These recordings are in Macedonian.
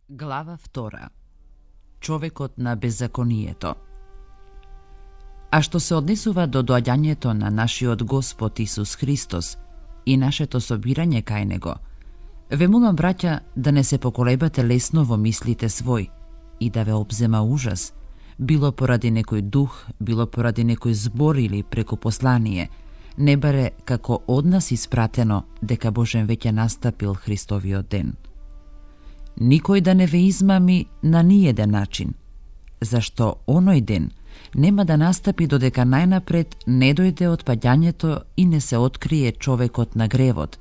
Глава 2. Човекот на беззаконието. А што се однесува до доаѓањето на нашиот Господ Исус Христос и нашето собирање кај Него, ве молам, браќа, да не се поколебате лесно во мислите свој и да ве обзема ужас, било поради некој дух, било поради некој збор или преку послание, не баре како од нас испратено дека Божен веќе настапил Христовиот ден. Никој да не ве измами на ниеден начин, зашто оној ден нема да настапи додека најнапред не дојде отпаѓањето и не се открие човекот на гревот,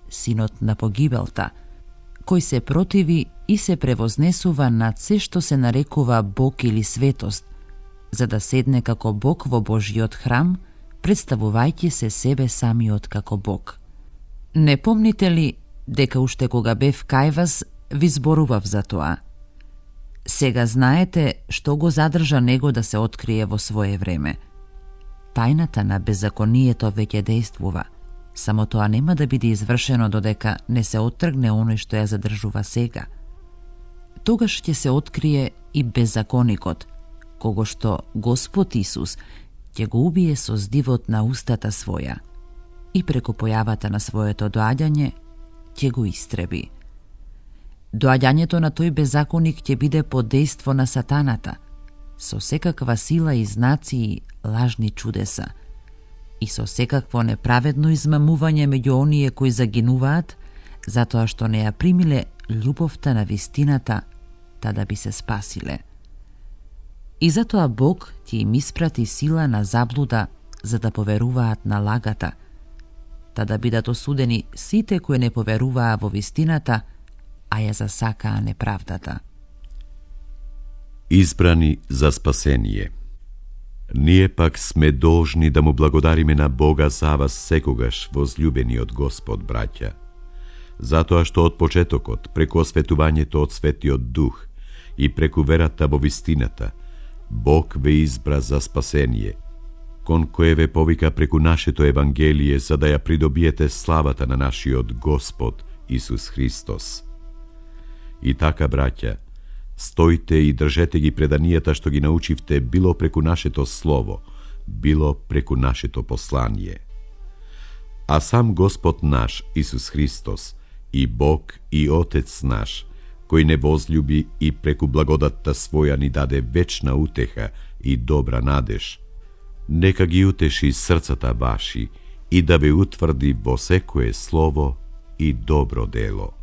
синот на погибелта, кој се противи и се превознесува над се што се нарекува Бог или светост, за да седне како Бог во Божиот храм, представувајќи се себе самиот како Бог. Не помните ли дека уште кога бев кај вас, ви зборував за тоа? Сега знаете што го задржа него да се открие во свое време. Тајната на беззаконието веќе действува, само тоа нема да биде извршено додека не се оттргне оној што ја задржува сега. Тогаш ќе се открие и беззаконикот, кого што Господ Исус ќе го убие со здивот на устата своја и преку појавата на своето доаѓање ќе го истреби. Доаѓањето на тој беззаконик ќе биде под дејство на сатаната, со секаква сила и знаци и лажни чудеса, и со секакво неправедно измамување меѓу оние кои загинуваат, затоа што не ја примиле љубовта на вистината, та да би се спасиле. И затоа Бог ќе им испрати сила на заблуда, за да поверуваат на лагата, та да бидат осудени сите кои не поверуваа во вистината, а ја засакаа неправдата. Избрани за спасение. Ние пак сме должни да му благодариме на Бога за вас секогаш, возлюбениот Господ, браќа, затоа што од почетокот, преку осветувањето од Светиот Дух и преку верата во вистината, Бог ве избра за спасение, кон кое ве повика преку нашето Евангелие, за да ја придобиете славата на нашиот Господ Исус Христос. И така, браќа, стојте и држете ги преданијата што ги научивте, било преку нашето слово, било преку нашето послание. А сам Господ наш, Исус Христос, и Бог и Отец наш, кој не возлюби и преку благодатта своја ни даде вечна утеха и добра надеж, нека ги утеши срцата ваши и да ве утврди во секое слово и добро дело.